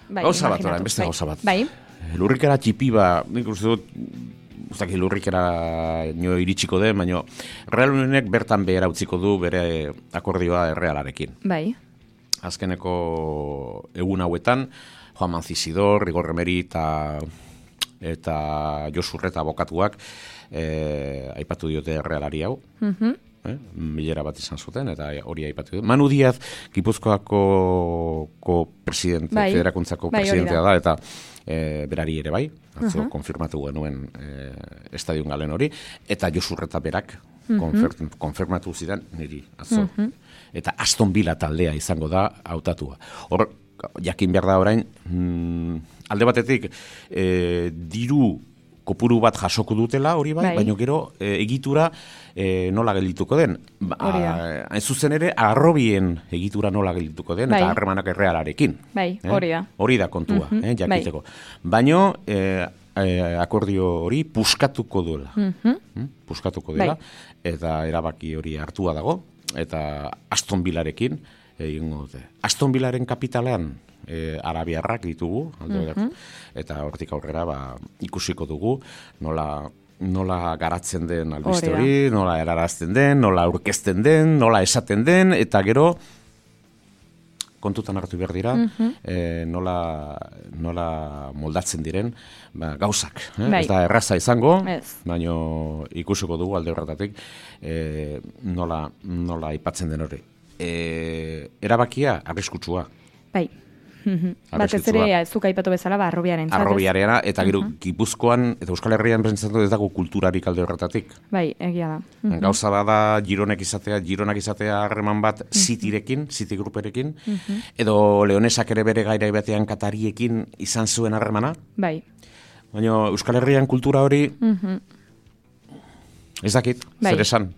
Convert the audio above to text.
Gauza bat, orain, beste gauza bat. Bai. Lurrikara txipi nik uste dut, uzaki lurrikara nio iritsiko den, baina Real Unionek bertan behera utziko du bere akordioa Errealarekin. Bai. Azkeneko egun hauetan, Juan Mancisidor, Rigor Remeri eta Josurreta abokatuak aipatu diote Errealari hau. Bilera bat izan zuten, eta hori aipatu dut. Manu Diaz, Gipuzkoako presidente, federakuntzako presidentea da, eta berari ere bai, atzo konfirmatu genuen estadion galen hori, eta Josurreta berak konfirmatu zidan niri atzo. Eta Aston Villa taldea izango da hautatua. Hor, jakin behar da orain, alde batetik, diru kopuru bat jasoko dutela hori bai, baina gero egitura nola geldituko den. Hain zuzen ere, Arrobien egitura nola geldituko den, eta harremanak Errealarekin. Hori da kontua, jakiteko. Baina akordio hori puskatuko duela. Puskatuko dela, eta erabaki hori hartua dago, eta Aston Villarekin egingo dute. Aston Villaren kapitalean arabiarrak ditugu, eta hortik aurrera ikusiko dugu nola garatzen den albiste hori, nola erarazten den, nola aurkezten den, nola esaten den, eta gero kontutan hartu behar dira, nola moldatzen diren gauzak. Ez da erraza izango, baina ikusiko dugu alde horretatik nola aipatzen den hori. Erabakia arriskutsua. Bai. Batez ere, ez duk aipatu bezala, Arrobiaren. Arrobiarena, eta gero Gipuzkoan, eta Euskal Herrian pentsatu ez dago kulturarik alde horretatik. Bai, egia da. Gauza bada Gironak izatea harreman bat Cityrekin, City Grouperekin, edo Leonesak ere bere gaira batean Katariekin izan zuen harremana. Bai. Baina Euskal Herrian kultura hori ez dakit, zer esan.